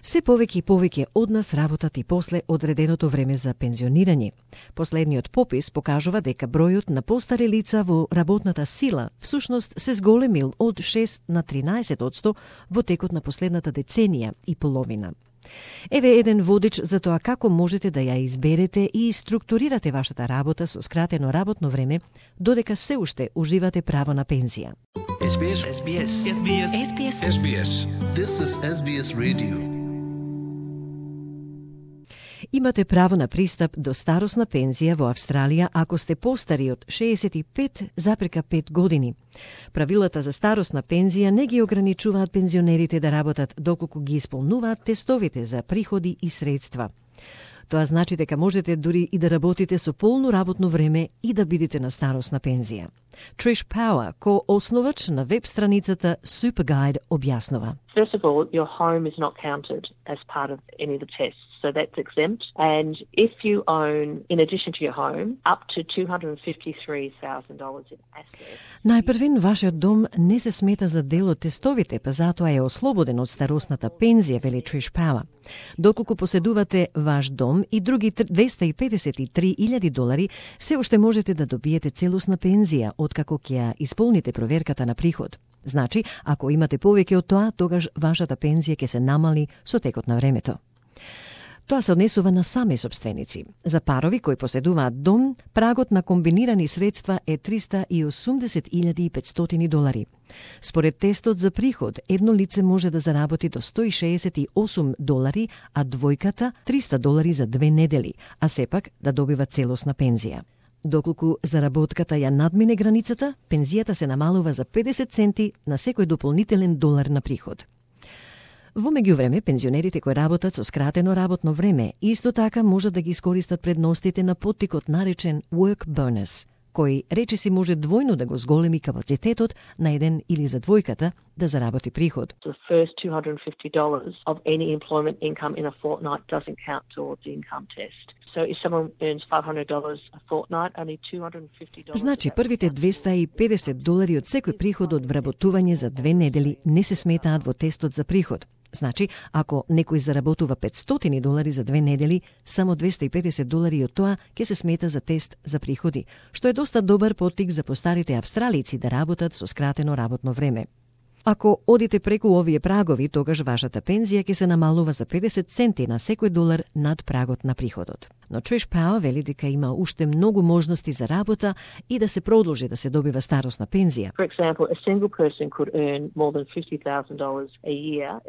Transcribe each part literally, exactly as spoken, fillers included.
Се повеќе и повеќе од нас работат и после одреденото време за пензионирање. Последниот попис покажува дека бројот на постари лица во работната сила всушност се зголемил од шест на тринаесет одсто во текот на последната деценија и половина. Еве еден водич за тоа како можете да ја изберете и структурирате вашата работа со скратено работно време, додека се уште уживате право на пензија. Ес Би Ес. Ес Би Ес. Ес Би Ес. Ес Би Ес. Ес Би Ес. This is Ес Би Ес Radio. Имате право на пристап до старосна пензија во Австралија ако сте постари од шеесет и пет запирка пет години. Правилата за старосна пензија не ги ограничуваат пензионерите да работат доколку ги исполнуваат тестовите за приходи и средства. Тоа значи дека можете дури и да работите со полно работно време и да бидете на старосна пензија. Trish Power, ко-основач на веб страницата Superguide, објаснува. First of all, your home is not counted as part of any of the tests, so that's exempt. And if you own, in addition to your home, up to two hundred fifty-three thousand dollars in assets. Најпрвин, вашиот дом не се смета за дел од тестовите, па затоа е ослободен од старосната пензија, вели Trish Power. Доколку поседувате ваш дом и други двеста и педесет и три илјади долари, се уште можете да добиете целосна пензија откако ќе ја исполните проверката на приход. Значи, ако имате повеќе од тоа, тогаш вашата пензија ќе се намали со текот на времето. Тоа се однесува на сами собственици. За парови кои поседуваат дом, прагот на комбинирани средства е триста и осумдесет илјади и петстотини долари. Според тестот за приход, едно лице може да заработи до сто и шеесет и осум долари, а двојката триста долари за две недели, а сепак да добива целосна пензија. Доколку заработката ја надмине границата, пензијата се намалува за педесет центи на секој дополнителен долар на приход. Во меѓувреме, пензионерите кои работат со скратено работно време исто така можат да ги искористат предностите на поттикот наречен work bonus, кој речиси може двојно да го зголеми капацитетот на еден или за двојката да заработи приход. The first two hundred fifty dollars of any employment income in a fortnight doesn't count towards the income test. So if someone earns five hundred dollars a fortnight, only two hundred fifty dollars. Значи, првите двеста и педесет долари од секој приход од вработување за две недели не се сметаат во тестот за приход. Значи, ако некој заработува петстотини долари за две недели, само двеста и педесет долари од тоа ќе се смета за тест за приходи, што е доста добар поттик за постарите австралици да работат со скратено работно време. Ако одите преку овие прагови, тогаш вашата пензија ќе се намалува за педесет центи на секој долар над прагот на приходот. Но Trish Power вели дека има уште многу можности за работа и да се продолжи да се добива старосна пензија. For example, a single person could earn more than fifty thousand dollars a year.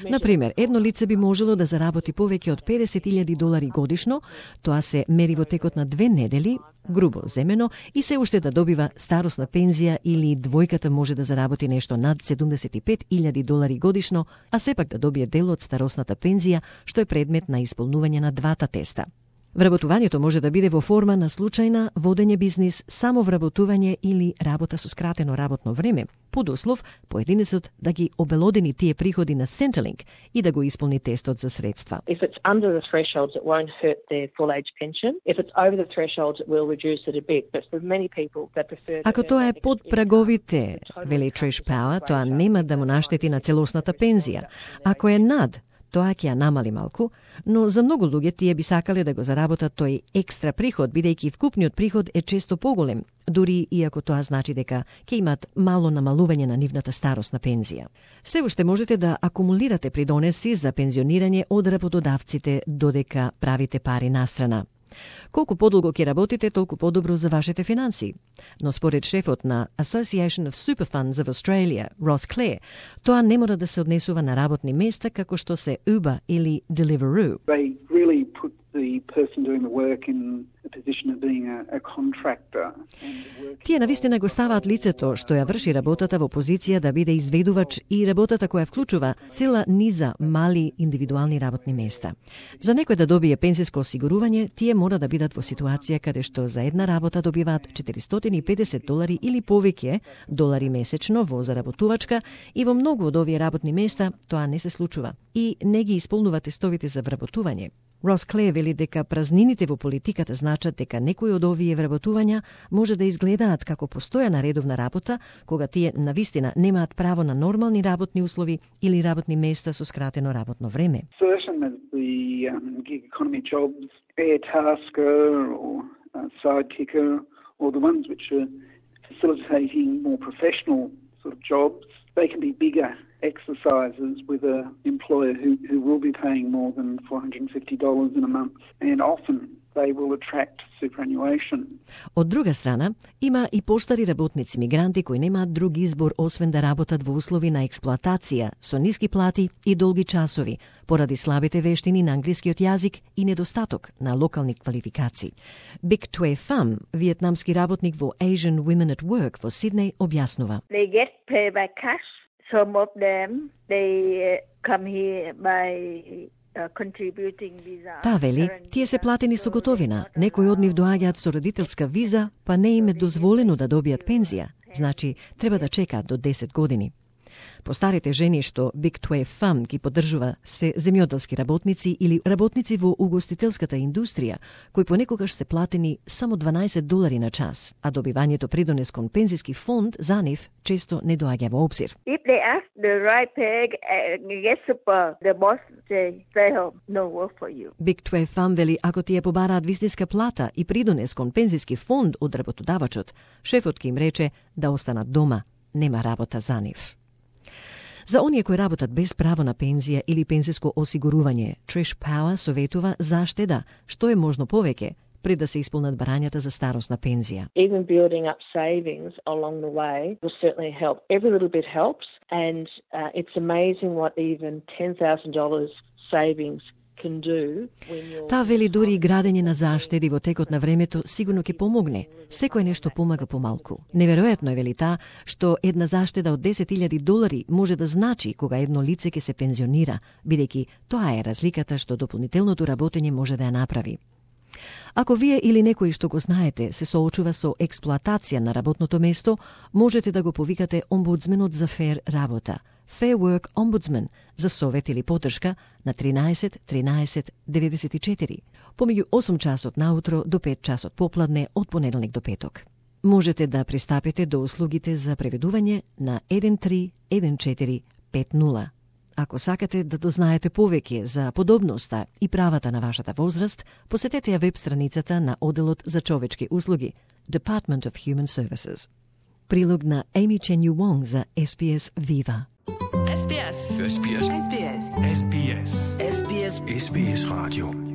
Например, едно лице би можело да заработи повеќе од педесет илјади долари годишно, тоа се мери во текот на две недели, грубо земено, и се уште да добива старосна пензија, или двојката може да заработи нешто над седумдесет и пет илјади долари годишно, а сепак да добие дел од старосната пензија, што е предмет на исполнување на двата теста. Вработувањето може да биде во форма на случајна водење бизнис, само вработување или работа со скратено работно време, под услов поединецот да ги обелодени тие приходи на Centrelink и да го исполни тестот за средства. If it's under the thresholds, it won't hurt their full age pension. If it's over the thresholds, it will reduce it a bit. But for many people, they prefer. Ако тоа е под праговите, вели Trish Power, тоа нема да му наштети на целосната пензија. Ако е над, тоа ќе ја намали малку, но за многу луѓе тие би сакале да го заработат тој екстра приход, бидејќи вкупниот приход е често поголем, дури и ако тоа значи дека ќе имат мало намалување на нивната старосна пензија. Се уште можете да акумулирате придонеси за пензионирање од работодавците додека правите пари настрана. Колку подолго ќе работите, толку подобро за вашите финанси. Но според шефот на Association of Super Funds of Australia, Ross Clare, тоа не мора да се однесува на работни места како што се Uber или Deliveroo. They really put the person doing the work in a position of being a, a contractor. Тие навистина го ставаат лицето што ја врши работата во позиција да биде изведувач и работата која вклучува цела низа мали индивидуални работни места. За некој да добие пензиско осигурување, тие мора да бидат во ситуација каде што за една работа добиваат четиристотини и педесет долари или повеќе долари месечно во заработувачка, и во многу од овие работни места тоа не се случува и не ги исполнува тестовите за вработување. Рос Клеј вели дека празнините во политиката значат дека некои од овие вработувања може да изгледаат како постојана редовна работа, кога тие навистина немаат право на нормални работни услови или работни места со скратено работно време. Certain as the um, gig economy jobs, air tasker or uh, sidekicker, or the ones which are facilitating more professional sort of jobs, they can be bigger exercises with an employer who, who will be paying more than four hundred fifty dollars in a month, and often they will attract superannuation. Од друга страна, има и постари работници мигранти кои немаат друг избор освен да работат во услови на експлоатација со ниски плати и долги часови, поради слабите вештини на англискиот јазик и недостаток на локални квалификации. Big Tue Pham, виетнамски работник во Asian Women at Work во Сиднеј, објаснува. They get paid by cash. Some of them, they come here by uh, contributing visa. Таа вели, тие се платени со готовина. Некои од нив доаѓаат со родителска виза, па не им е дозволено да добијат пензија. Значи, треба да чекаат до десет години. Постарите жени што Big Tue Pham ги поддржува се земјоделски работници или работници во угостителската индустрија, кои понекогаш се платени само дванаесет долари на час, а добивањето придонес кон пензиски фонд за нив често не доаѓа во обзир. If they ask the right pay, get super, the boss say, stay home, no work for you. Big Tue Pham вели, ако тие побараат вистинска плата и придонес кон пензиски фонд од работодавачот, шефот ќе им рече да останат дома, нема работа за нив. За оние кои работат без право на пензија или пензиско осигурување, Trish Power советува заштеда, што е можно повеќе, пред да се исполнат барањата за старосна пензија. Even building up savings along the way will certainly help. Every little bit helps, and uh, it's amazing what even ten thousand dollars savings can do when you're... Таа вели дури и градење на заштеди во текот на времето сигурно ќе помогне. Секој нешто помага помалку. Неверојатно е, вели таа, што една заштеда од десет илјади долари може да значи кога едно лице ќе се пензионира, бидејќи тоа е разликата што дополнителното работење може да ја направи. Ако вие или некој што го знаете се соочува со експлоатација на работното место, можете да го повикате омбудсменот за фер работа, Fair Work Ombudsman, за совет или поддршка на тринаесет тринаесет деветдесет и четири, помеѓу осум часот наутро до пет часот попладне од понеделник до петок. Можете да пристапите до услугите за преведување на еден три еден четири пет нула. Ако сакате да дознаете повеќе за подобноста и правата на вашата возраст, посетете ја веб страницата на Оделот за човечки услуги, Department of Human Services. Прилог на Amy Chen Yu Wong за Ес Би Ес Viva. Ес Би Ес. Ес Би Ес. Ес Би Ес. Ес Би Ес. Ес Би Ес Radio.